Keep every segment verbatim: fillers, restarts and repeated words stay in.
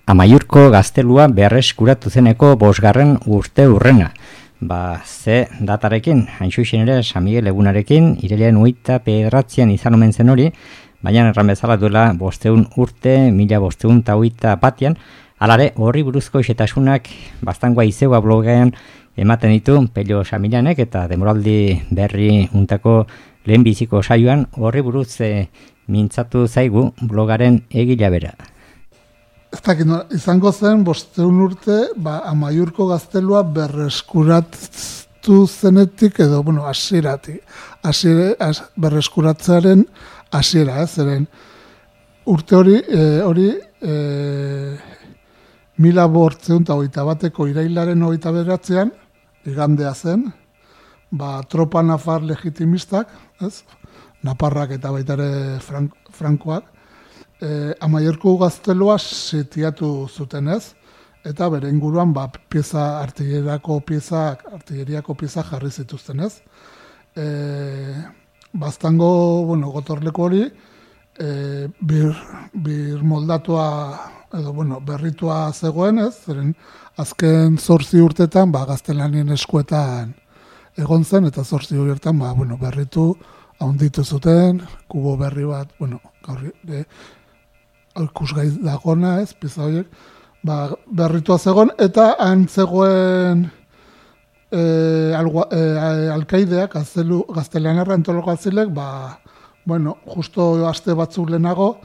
Amaiurko gaztelua berreskuratu zeneko bosgarren urte urrena. Ba, ze datarekin, hain zuzen ere, San Miguel egunarekin, irailean hogeita bederatzian izan omen zen hori, baina erran bezala duela bosteun urte, mila bosteun eta hogeita batean, alare horri buruzko isetasunak bastangoa izeua blogean ematen ditu Pello Samilanek eta demoraldi berri untako lehenbiziko saioan horri buruz e, mintzatu zaigu blogaren egila bera. Ez dakit, izango zen bosteun urte, ba, Amaiurko gaztelua berreskuratu zenetik edo, bueno, hasierati, hasiera, as, berreskuratzearen hasiera, ez, zeren urte hori, e, hori, e, mila bortzeun eta hogeita bateko irailaren hogeita beratzean, igandea zen, ba, tropa nafar legitimistak, ez, naparrak eta baitare frank, frankoak, eh, Amaiurko gaztelua sitiatu zuten, ez, eta bere inguruan ba, pieza, artilleriako pieza, artilleriako pieza jarri zituzten, ez. Eh, Baztango, bueno, gotorleko hori, eh, bir, bir moldatua edo, bueno, berritua zegoen, ez, zeren azken zortzi urtetan, ba, gaztelanien eskuetan egon zen, eta zortzi urtetan, ba, bueno, berritu, haunditu zuten, kubo berri bat, bueno, gaur, e, ikusgai dagona, ez, pieza horiek, ba, berritua zegoen, eta han zegoen e, algua, e, alkaideak, gaztelanerra entoloko azilek, ba, bueno, justo aste batzuk lehenago,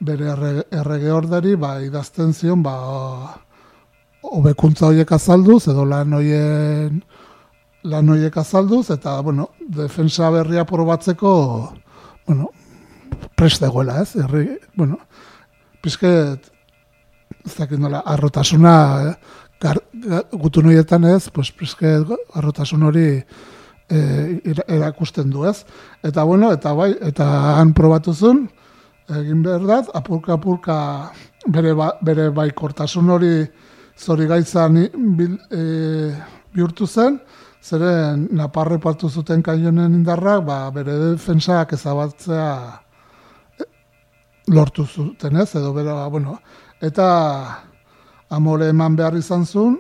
bere errege, errege orderi, ba, idazten zion, ba, hobekuntza horiek azalduz, edo lan horien lan horiek azalduz, eta, bueno, defensa berria probatzeko, bueno, prest dagoela, ez? Herri, bueno, pizket, ez dakit nola, arrotasuna, eh? Gar, gutun horietan ez, pues, pizket arrotasun hori eh, erakusten du, ez? Eta, bueno, eta bai, eta han probatuzun, egin behar da, apurka-apurka bere, ba, bere baikortasun hori zori gaitzan bil, e, bihurtu zen, zeren naparre partu zuten kaionen indarrak, ba, bere defensak ezabatzea lortu zuten, ez, edo bera, bueno, eta amore eman behar izan zuen,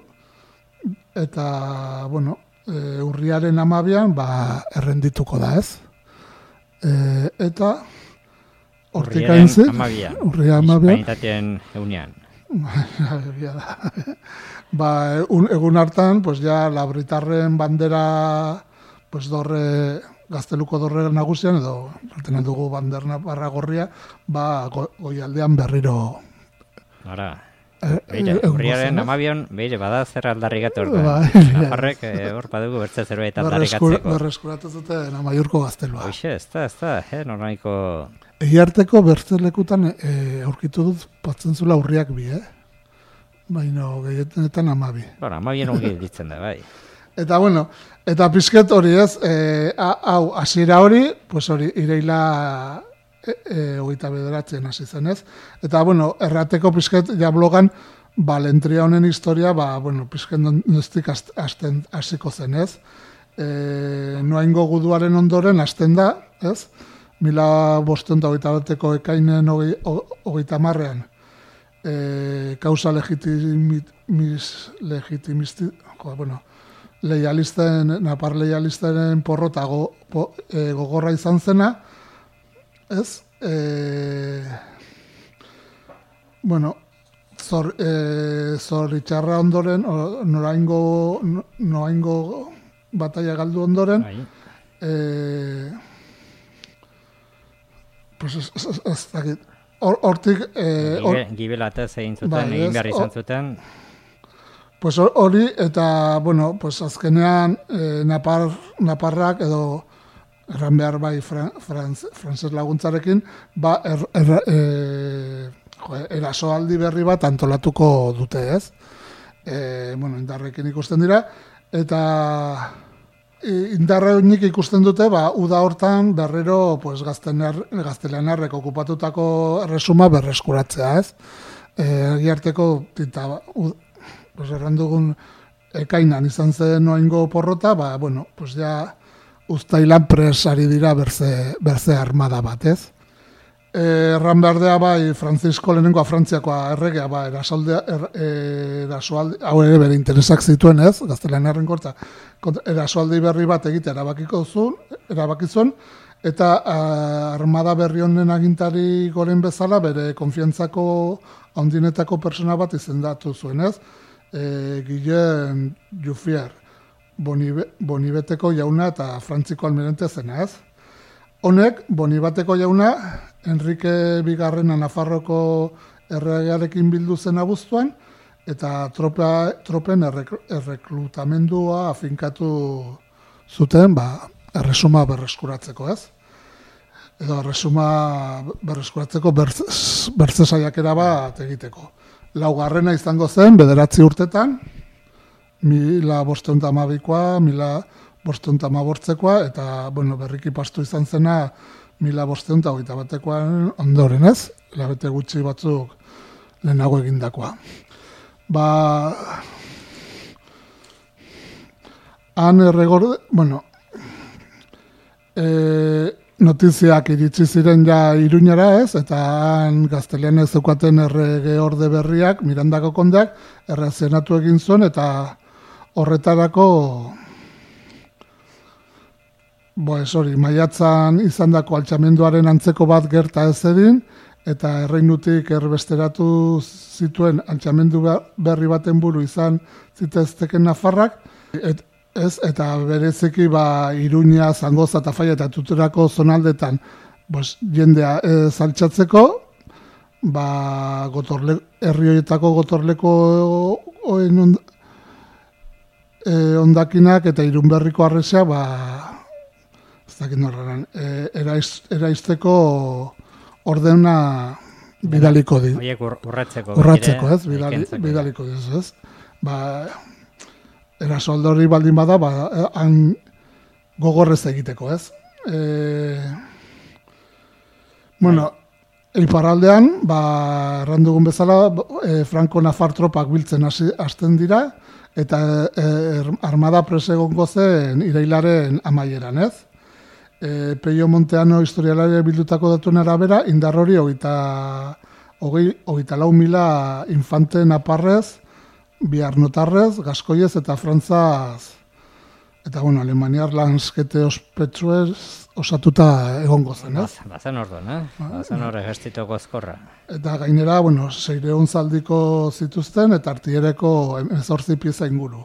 eta, bueno, e, urriaren amabian, ba, errendituko da, ez. E, eta hortik hain zen, urriaren amabian, hispanitateen eunean. Ba, un, egun hartan, pues ja, labritarren bandera, pues dorre, gazteluko dorre nagusian, edo, altenen dugu banderna barra gorria, ba, go, goialdean berriro. Ara, e, beire, e, urriaren amabion, beire, bada zer aldarrikatu orduan. Ba, Nafarrek, hor e, badugu bertze zerbait aldarrikatzeko. Berreskuratu zuten Amaiurko gaztelua. Hoxe, ez da, ez da, eh, normaiko... Egiarteko bertzelekutan e, aurkitu dut batzen zula urriak bi, eh? Baina gehienetan amabi. Bueno, amabien ongi ditzen da, bai. Eta, bueno, eta pizket hori ez, e, hau, hasiera hori, pues hori, ireila e, e, hogeita bederatzen hasi zen, ez? Eta, bueno, errateko pizket ja blogan, ba, lentria honen historia, ba, bueno, pizket noztik hasten hasiko zen, ez? E, noaingo guduaren ondoren hasten da, ez? Mila bosteun eta hogeita bateko ekainen hogeita marrean, e, kausa legitimiz, legitimisti, jo, bueno, leialisten, napar leialisten porrota go, po, e, gogorra izan zena, ez? E, bueno, zor, e, zor itxarra ondoren, noraingo, noraingo bataia galdu ondoren, e, pues ez, ez, ez dakit, hortik... Eh, or, Gibelatez egin zuten, ba, egin behar izan zuten. Pues hori, eta, bueno, pues azkenean eh, napar, naparrak edo erran behar bai fran, franz, frantzes laguntzarekin, ba, er, er, er, jo, erasoaldi berri bat antolatuko dute, ez? E, bueno, indarrekin ikusten dira, eta... Indarra nik ikusten dute, ba, uda hortan berriro pues, gaztelanerrek okupatutako erresuma berreskuratzea, ez? Egiarteko, tinta, pues, errandugun ekainan izan zen noaingo porrota, ba, bueno, pues, ja, uztailan pres ari dira berze, berze armada bat, ez? erran berdea bai Francisco lehenengoa Frantziakoa erregea ba erasoaldea er, erasoaldi hau ere bere interesak zituen, ez? Gaztelaniarren korta erasoaldi berri bat egitea erabakiko zuen, erabakizun eta uh, armada berri honen agintari goren bezala bere konfiantzako handinetako persona bat izendatu zuen, ez? E, Guillem Juffier, Bonibe, Bonibeteko jauna eta Frantziko almirante zena, ez? Honek, Bonibateko jauna, Enrique Bigarrena Nafarroko erregearekin bildu zen abuztuan, eta tropa, tropen erreklutamendua afinkatu zuten, ba, erresuma berreskuratzeko, ez? Edo erresuma berreskuratzeko bertze saiakera bat egiteko. Laugarrena izango zen, bederatzi urtetan, mila bostehun eta hamabikoa, mila bostehun eta hamabortzekoa, eta, bueno, berriki pastu izan zena, mila bostehun eta hogeita batekoan ondoren, ez? Labete gutxi batzuk lehenago egindakoa. Ba, han erregorde, bueno, e, notiziak iritsi ziren ja Iruñara, ez? Eta han gaztelianez zeukaten errege orde berriak, Mirandako kondeak, errazionatu egin zuen, eta horretarako Bo, ez hori, maiatzan izandako altxamenduaren antzeko bat gerta ez edin, eta erreinutik erbesteratu zituen altxamendu berri baten buru izan zitezteken Nafarrak, et, ez, eta bereziki ba, Iruña, Zangoza eta Faia eta Tuterako zonaldetan bos, jendea ez altxatzeko, ba, gotorle, herri horietako gotorleko oen ond, e, ondakinak eta Irunberriko arrezea, ba, E, eraiz, eraizteko ordena bidaliko di. Oiek urratzeko. Urratzeko, ez? Bidali, bidaliko di, ez? Ba, erasoaldori baldin bada, ba, han gogorrez egiteko, ez? E, bueno, iparraldean, ba, errandugun bezala, e, Franco-Nafar tropak biltzen hasten dira, eta e, armada presegongo zen irailaren amaieran, ez? E, Peio Monteano historialaria bildutako datuen arabera, indar hori hogeita lau mila infante naparrez, biarnotarrez, gaskoiez eta frantzaz, eta bueno, alemaniar lanskete ospetsuez osatuta egongo zen, ez? Bazen orduan, eh? Bazen hor egestitoko ezkorra. Eta gainera, bueno, seireun zaldiko zituzten, eta artiereko emezortzi pieza inguru.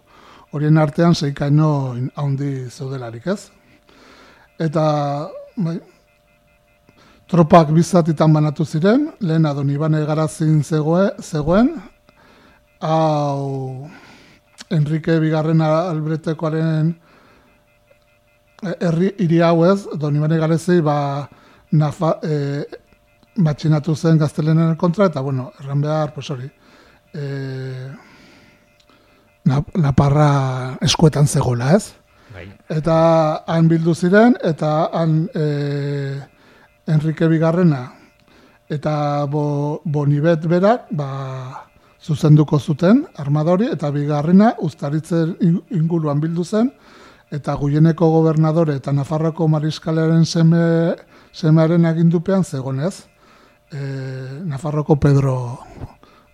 Horien artean seikaino haundi zeudelarik, ez? Eta bai, tropak bizatitan banatu ziren, lehena Donibane Garazin zegoen, zegoen hau Enrique Bigarren Albretekoaren herri hiri hau ez, Donibane Garazin ba, nafa, e, matxinatu zen gaztelenen kontra, eta bueno, erran behar, pues hori, e, Naparra eskuetan zegoela ez. Eta han bildu ziren, eta han e, Enrique Bigarrena eta bo, Bonibet berak ba, zuzenduko zuten armadori, eta Bigarrena Uztaritzen inguruan bildu zen, eta Guieneko gobernadore eta Nafarroko mariskalearen seme, semearen agindupean zegonez. E, Nafarroko Pedro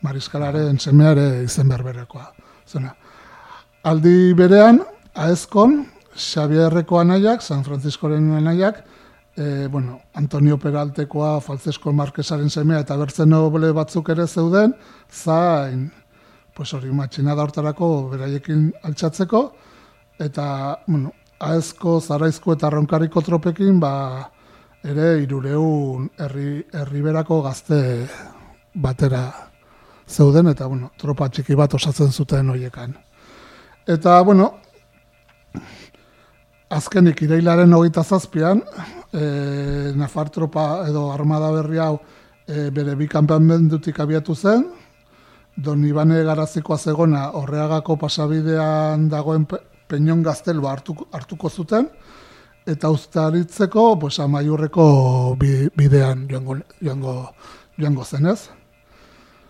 mariskalaren semeare izen berberekoa. Zena. Aldi berean, Aezkon, Xabierreko anaiak, San Franciscoren anaiak, e, bueno, Antonio Peraltekoa, Falzesko Marquesaren semea eta bertzen noble batzuk ere zeuden, zain, pues hori, matxinada hortarako beraiekin altxatzeko, eta, bueno, Aezko, Zaraizko eta Ronkariko tropekin, ba, ere irureun herri, herriberako gazte batera zeuden, eta, bueno, tropa txiki bat osatzen zuten horiekan. Eta, bueno, azkenik irailaren hogeita zazpian, e, Nafar tropa edo armada berri hau e, bere bi kanpamendutik abiatu zen, Donibane Garazikoa zegona Orreagako pasabidean dagoen pe, Peñon gaztelua hartuko, hartuko zuten, eta Uztaritzeko pues, Amaiurreko bi, bidean joango, joango, joango zenez.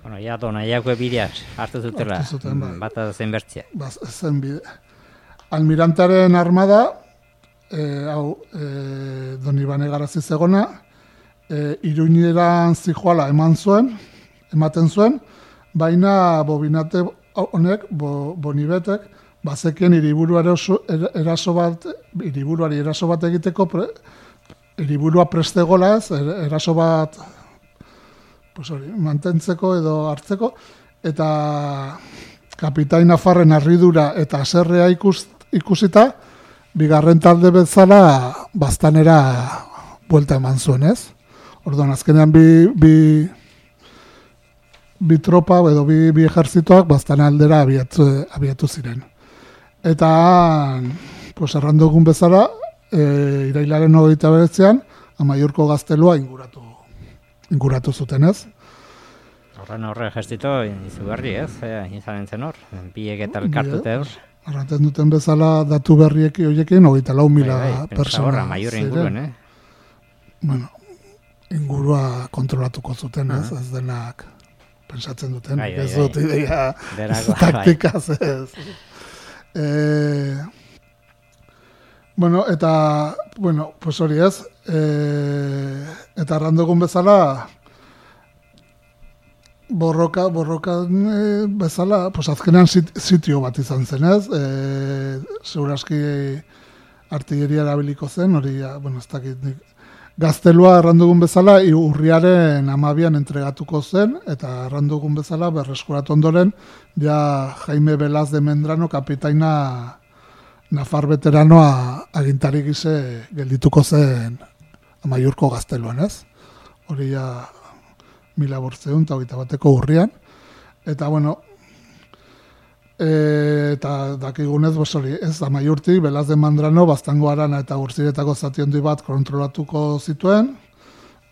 Bueno, ja, Donaiako bideak hartu zutela, hartu zuten, bai. Bata zen bertzia. Ba, zen bide. Almirantaren armada, e, hau, e, Donibane Garazi zegona, e, Iruñeran zijoala eman zuen, ematen zuen, baina bobinate honek, bo, bonibetek, bazekien hiriburua eraso bat, hiriburuari eraso bat egiteko, pre, hiriburua prestegola ez, eraso bat pues hori, mantentzeko edo hartzeko, eta kapitain Nafarren harridura eta haserrea ikus, ikusita, bigarren talde bezala baztanera buelta eman zuen, ez? Orduan, azkenean bi, bi, bi tropa edo bi, bi ejerzitoak baztan aldera abiatu, abiatu ziren. Eta, pues, errandugun bezala, e, irailaren hogeita beretzean, Amaiurko gaztelua inguratu, inguratu zuten, ez? Horren horre gestito izugarri, ez? E, izanen zen hor, biek eta elkartute hor. Arrantzen duten bezala datu berriek horiekin, hogeita lau mila persona. Horra, Amaiur inguruen, eh? Bueno, ingurua kontrolatuko zuten, ez? Uh-huh. Ez denak pensatzen duten, bai, bai, ez dut ideia taktikaz, ez. Eh, bueno, eta, bueno, pues hori ez, eh, eta arrandogun bezala, borroka, borroka e, bezala, pues azkenean sit, sitio bat izan zen, ez? E, Segurazki artilleria erabiliko zen, hori, bueno, ez dakit, gaztelua errandugun bezala, urriaren amabian entregatuko zen, eta errandugun bezala, berreskuratu ondoren, ja Jaime Belaz de Mendrano, kapitaina Nafar veteranoa agintari gise geldituko zen Amaiurko gazteluan, ez? Hori ja mila bortzeun eta hogeita bateko urrian. Eta, bueno, e, eta dakigunez, hori, ez, Amaiurtik, Belaz de Mandrano, Baztango Arana eta Urziretako zati handi bat kontrolatuko zituen,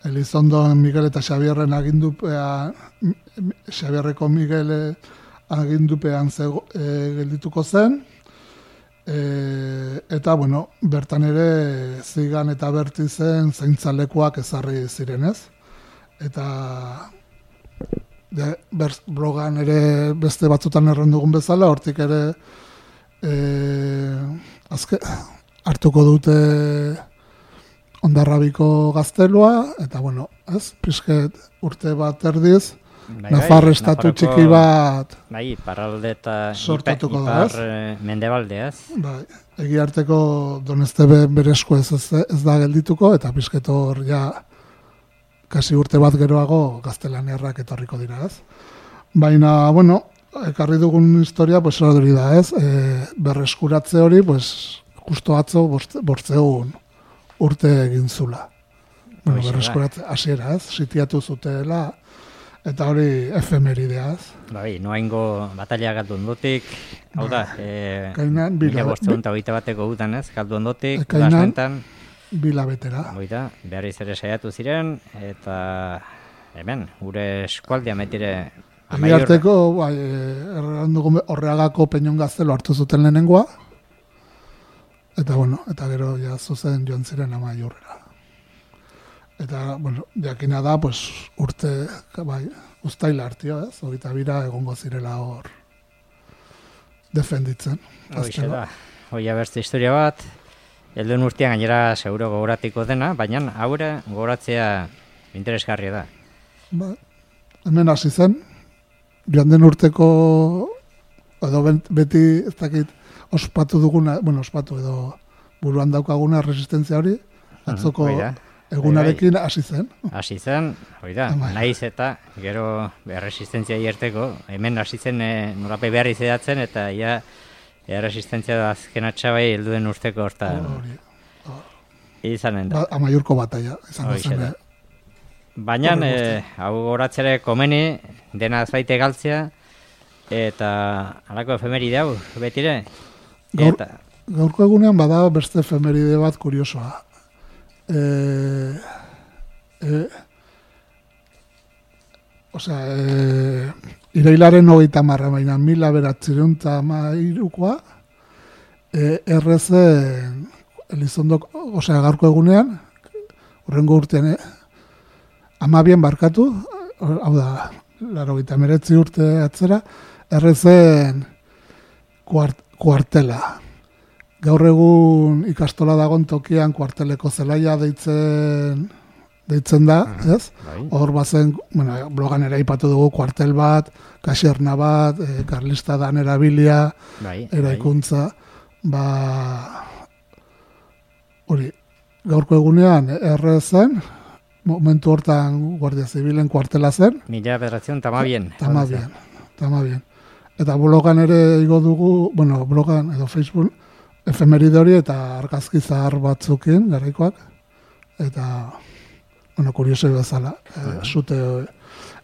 Elizondo Miguel eta Xabierren agindupea, Xabierreko Miguel agindupean zego, e, geldituko zen, e, eta, bueno, bertan ere Zigan eta Bertizen zaintzalekuak ezarri zirenez. Eta de, ber, blogan ere beste batzutan errandugun bezala, hortik ere e, azke, hartuko dute Ondarrabiko gaztelua, eta bueno, ez, pizket urte bat erdiz, bai, Nafar bai, estatu Nafarroko, txiki bat bai, iparralde eta sortatuko ipar, da, ez? Mendebalde, ez? Bai, egiarteko Donestebe berezko ez, ez, ez da geldituko, eta pizket hor ja kasi urte bat geroago gaztelaniarrak etorriko dira, ez? Baina, bueno, ekarri dugun historia, pues, hori da, ez? E, berreskuratze hori, pues, justo atzo bortzeun urte egin zula. Bueno, berreskuratze, hasiera, ez? Sitiatu zutela, eta hori efemeridea, ez? Bai, noaingo batalia galdu ondotik, hau da, e, Kainan, mila bortzeun eta hogeita bateko gutan, ez? Galdu ondotik, Kainan, bilabetera. Oita, behar izere saiatu ziren, eta hemen, gure eskualdea metire Amaiur. Egiarteko, bai, errandugu Horreagako Peñon gaztelo hartu zuten lehenengoa, eta bueno, eta gero ja zuzen joan ziren Amaiurrera. Eta, bueno, jakina da, pues, urte, bai, uztaila hartio, ez? Hogeita bira egongo zirela hor defenditzen. Hoxe da, hoia bertze historia bat, helduen urtean gainera seguro gogoratiko dena, baina haure gogoratzea interesgarria da. Ba, hemen hasi zen, joan den urteko, edo beti, ez dakit, ospatu duguna, bueno, ospatu edo buruan daukaguna resistentzia hori, atzoko egunarekin hasi zen. Hasi zen, hori da, naiz eta gero erresistentzia hierteko, hemen hasi zen e, norape behar izedatzen, eta ja, erresistentzia da azken atxabai helduen urteko hortan. Hori, izanen da. Ba, Amaiurko bataia, izango zen. Baina, e, hau horatzere komeni, dena azbaite galtzea, eta halako efemeride hau, betire. Gaur, eta... Gaurko egunean bada beste efemeride bat kuriosoa. E, e, Osea, e, irailaren hogeita marra, baina mila beratzireun eta mairukoa, e, errezen Elizondok, osea, gaurko egunean, horrengo urtean, e, amabien barkatu, hau da, laro gita meretzi urte atzera, errezen kuart, kuartela. Gaur egun ikastola dagon tokian kuarteleko zelaia deitzen deitzen da, uh-huh. ez? Hor bazen, bueno, blogan ere aipatu dugu kuartel bat, kaserna bat, e, karlista dan erabilia, bai, eraikuntza, ba, hori, gaurko egunean erre zen, momentu hortan Guardia Zibilen kuartela zen. Mila bederatzen tamabien. Tamabien, tamabien. Eta blogan ere igo dugu, bueno, blogan edo Facebook, efemeride hori eta argazki zahar batzukin, garaikoak, eta, bueno, kuriosoi bezala, e, zute,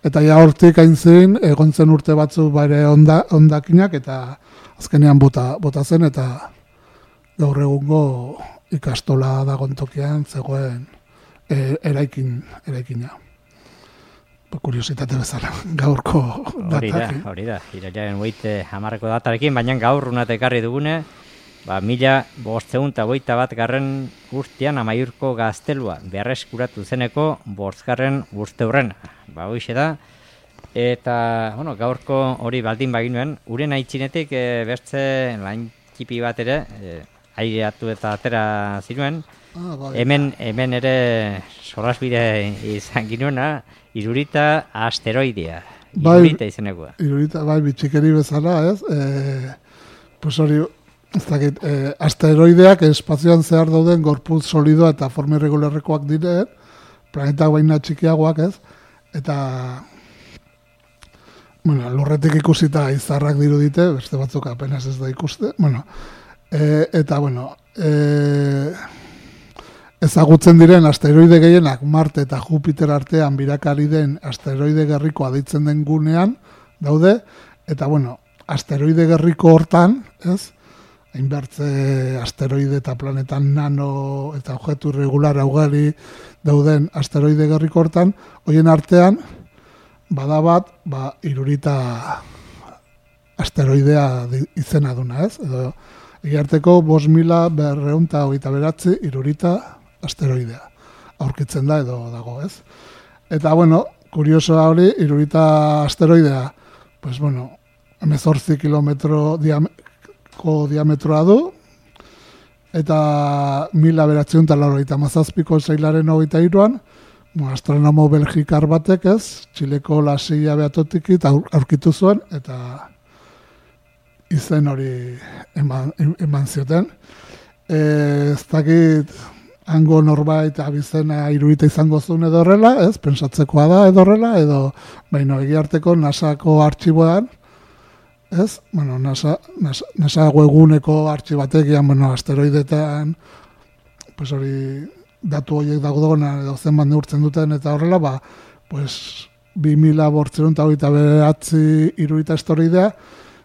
eta ja hortik aintzin, egon zen urte batzu bare onda, ondakinak, eta azkenean bota, bota zen, eta gaur egungo ikastola dagoen tokian zegoen e, eraikin, eraikina. Kuriositate bezala, gaurko hori da, datakin. hori da, irailaren hogeita hamarreko datarekin, baina gaur unat ekarri dugune, ba, mila bostehun eta hogeita bat garren urtean Amaiurko gaztelua berreskuratu zeneko bostgarren urteurrena. Ba, hoixe da, eta, bueno, gaurko hori baldin baginuen, uren aitzinetik e, bertze lain txipi bat ere, e, aireatu eta atera zinuen, Ah, bai. hemen, hemen ere solasbide izan ginuena, Irurita asteroidea. Irurita bai, izenekoa. Irurita, bai, bitxikeri bezala, ez? E, pues hori, ez dakit, e, asteroideak espazioan zehar dauden gorputz solidoa eta forma irregularrekoak dire, planetak baina txikiagoak, ez? Eta, bueno, lurretik ikusita izarrak dirudite, beste batzuk apenas ez da ikuste, bueno, e, eta, bueno, e, ezagutzen diren asteroide gehienak Marte eta Jupiter artean birakari den asteroide gerrikoa deitzen den gunean daude, eta bueno, asteroide gerriko hortan, ez? Hainbertze asteroide eta planetan nano eta objektu irregular ugari dauden asteroide gerriko hortan, hoien artean bada bat, ba, Irurita asteroidea izena duna, ez? Edo egiarteko bost mila berrehun eta hogeita bederatzi Irurita asteroidea aurkitzen da edo dago, ez? Eta, bueno, kuriosoa hori, Irurita asteroidea, pues, bueno, hemezortzi kilometro diameko diametroa du, eta mila bederatziehun eta laurogeita hamazazpiko zailaren hogeita hiruan, bueno, astronomo belgikar batek, ez, Txileko Lasilla beatotik aurkitu zuen, eta izen hori eman, eman zioten. E, ez dakit, hango norbait abizena Irurita izango zuen edo horrela, ez, pensatzekoa da edo horrela, edo, baina egiarteko NASAko artxiboan, ez, bueno, NASA, NASA, NASA webguneko artxibatek, bueno, asteroidetan, pues hori, datu horiek dagodona edo zenbat neurtzen duten eta horrela, ba, pues, bi mila bortziehun eta hogeita bederatzi Irurita asteroidea,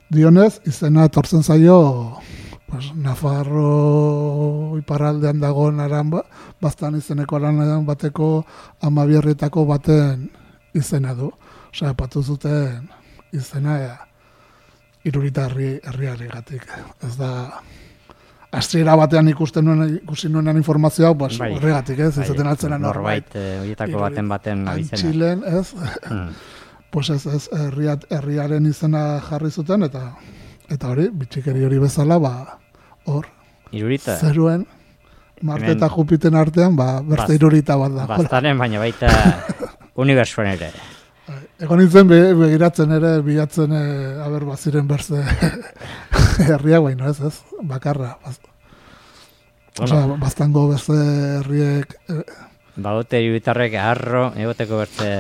dionez, izena etortzen zaio, pues, Nafarro iparraldean dagoen aran ba, baztan izeneko aran bateko amabierretako baten izena du. Osea, patu zuten izena ea, Irurita herri, herriari gatik. Ez da, hasiera batean ikusten nuen, ikusi nuenan informazioa, pues, bai, horregatik, ez? Ez zaten altzena norbait. Norbait, horietako baten baten abizena. Antxilen, ez? Hmm. Pues ez, ez, herriat, herriaren izena jarri zuten, eta eta hori, bitxikeri hori bezala, ba, hor, Irurita. Zeruen, Marte eta Jupiten artean, ba, berze Irurita bat da. Baztaren, baina baita unibertsuan ere. Egon nintzen begiratzen ere, bilatzen, e, aber baziren berze herriak, baina ez, ez, bakarra. Baz. Bueno. Osa, baztango berze herriek... E, Baute Iruritarrek arro, egoteko berze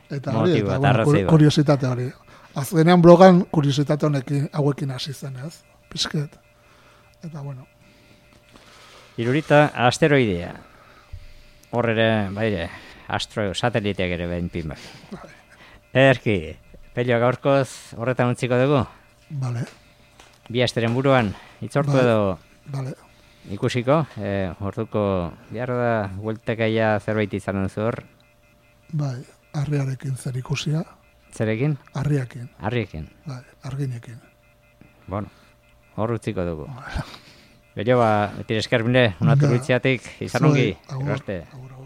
eta hori, motibo, eta bueno, kuriositate hori. Azkenean blogan kuriositate honekin hauekin hasi zen, ez? Pisket. Eta bueno. Irurita asteroidea. Hor ere, baire, astro sateliteak ere behin pin bat. Erki, Pello gaurkoz horretan utziko dugu? Vale. Bi asteren buruan, itzortu vale. Edo vale. Ikusiko, e, orduko behar da, hueltekaia zerbait izan duzu hor? Bai, harriarekin zer ikusia. Zerekin? Harriakin. Harriekin. Bai, arginekin. Bueno, hor utziko dugu. Bello, ba, beti esker bine, unatu bitziatik, izan ongi. Agur, agur.